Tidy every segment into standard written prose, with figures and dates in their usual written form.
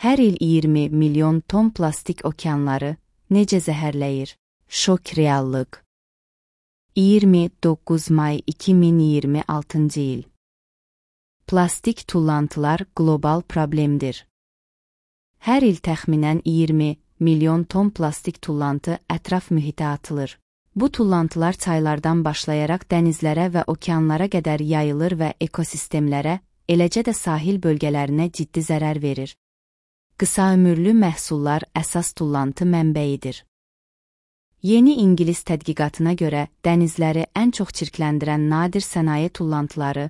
Hər il 20 milyon ton plastik okeanları necə zəhərləyir? Şok reallıq. 29 may 2026 il. Plastik tullantılar qlobal problemdir. Hər il təxminən 20 milyon ton plastik tullantı ətraf mühitə atılır. Bu tullantılar çaylardan başlayaraq dənizlərə və okeanlara qədər yayılır və ekosistemlərə, eləcə də sahil bölgələrinə ciddi zərər verir. Qısaömürlü məhsullar əsas tullantı mənbəyidir. Yeni İngilis tədqiqatına görə dənizləri ən çox çirkləndirən nadir sənaye tullantıları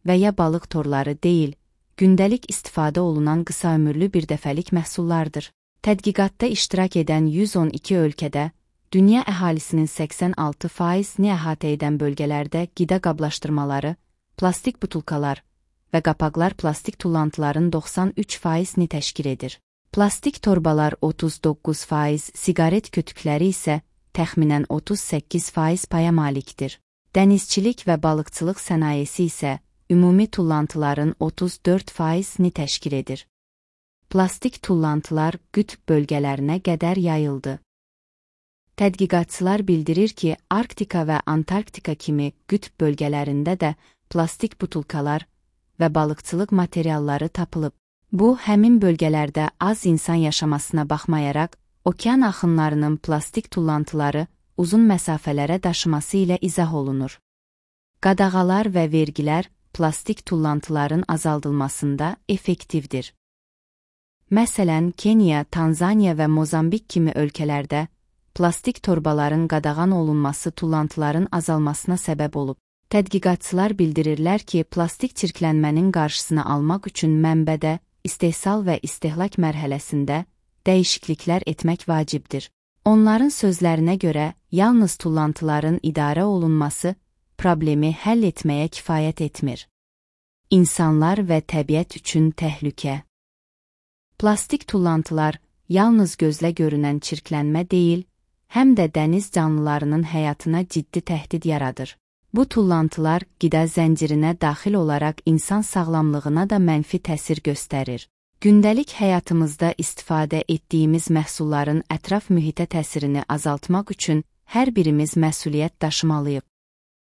və ya balıq torları deyil, gündəlik istifadə olunan qısaömürlü birdəfəlik məhsullardır. Tədqiqatda iştirak edən 112 ölkədə, dünya əhalisinin 86%-ni əhatə edən bölgələrdə qida qablaşdırmaları, plastik butulkalar və qapaqlar plastik tullantıların 93%-ni təşkil edir. Plastik torbalar 39%, siqaret kötükləri isə təxminən 38% paya malikdir. Dənizçilik və balıqçılıq sənayesi isə ümumi tullantıların 34%-ni təşkil edir. Plastik tullantılar qütb bölgələrinə qədər yayıldı. Tədqiqatçılar bildirir ki, Arktika və Antarktika kimi qütb bölgələrində də plastik butulkalar və balıqçılıq materialları tapılıb. Bu, həmin bölgələrdə az insan yaşamasına baxmayaraq, okean axınlarının plastik tullantıları uzun məsafələrə daşıması ilə izah olunur. Qadağalar və vergilər plastik tullantıların azaldılmasında effektivdir. Məsələn, Kenya, Tanzaniya və Mozambik kimi ölkələrdə plastik torbaların qadağan olunması tullantıların azalmasına səbəb olub. Tədqiqatçılar bildirirlər ki, plastik çirklənmənin qarşısını almaq üçün mənbədə, istehsal və istehlak mərhələsində dəyişikliklər etmək vacibdir. Onların sözlərinə görə, yalnız tullantıların idarə olunması problemi həll etməyə kifayət etmir. İnsanlar və təbiət üçün təhlükə. Plastik tullantılar yalnız gözlə görünən çirklənmə deyil, həm də dəniz canlılarının həyatına ciddi təhdid yaradır. Bu tullantılar qida zəncirinə daxil olaraq insan sağlamlığına da mənfi təsir göstərir. Gündəlik həyatımızda istifadə etdiyimiz məhsulların ətraf mühitə təsirini azaltmaq üçün hər birimiz məsuliyyət daşımalıyıq.